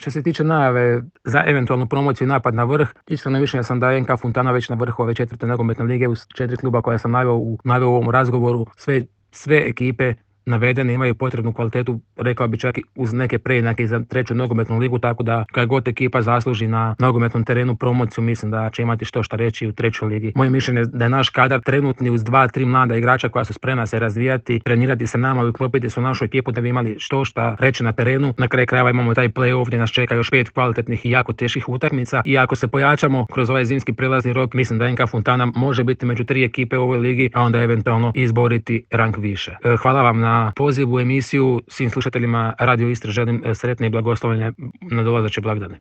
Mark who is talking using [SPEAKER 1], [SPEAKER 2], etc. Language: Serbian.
[SPEAKER 1] Što se tiče najave za eventualnu promociju i napad na vrh, iskreno mišljenja sam da je NK Fontana već na vrhu ove 4. nogometne lige uz 4 kluba koja sam naveo u ovom razgovoru. Sve ekipe navedene imaju potrebnu kvalitetu, rekao bi čak i uz neke preinake za 3. nogometnu ligu, tako da kad god ekipa zasluži na nogometnom terenu promociju, mislim da će imati što šta reći u 3. ligi. Moje mišljenje je da je naš kadar trenutni uz 2-3 mlada igrača koja su spremna se razvijati, trenirati se nama i uklopiti se u našu ekipu da bi imali što šta reći na terenu. Na kraju krajeva imamo taj play-off gdje nas čeka još 5 kvalitetnih i jako teških utakmica i ako se pojačamo kroz ovaj zimski prelazni rok, mislim da NK Fontana može biti među 3 ekipe u ovoj ligi, a onda eventualno izboriti rang više. Hvala vam na pozivu u emisiju. Svim slušateljima Radio Istre želim sretne i blagoslovljene nadolazeće blagdane.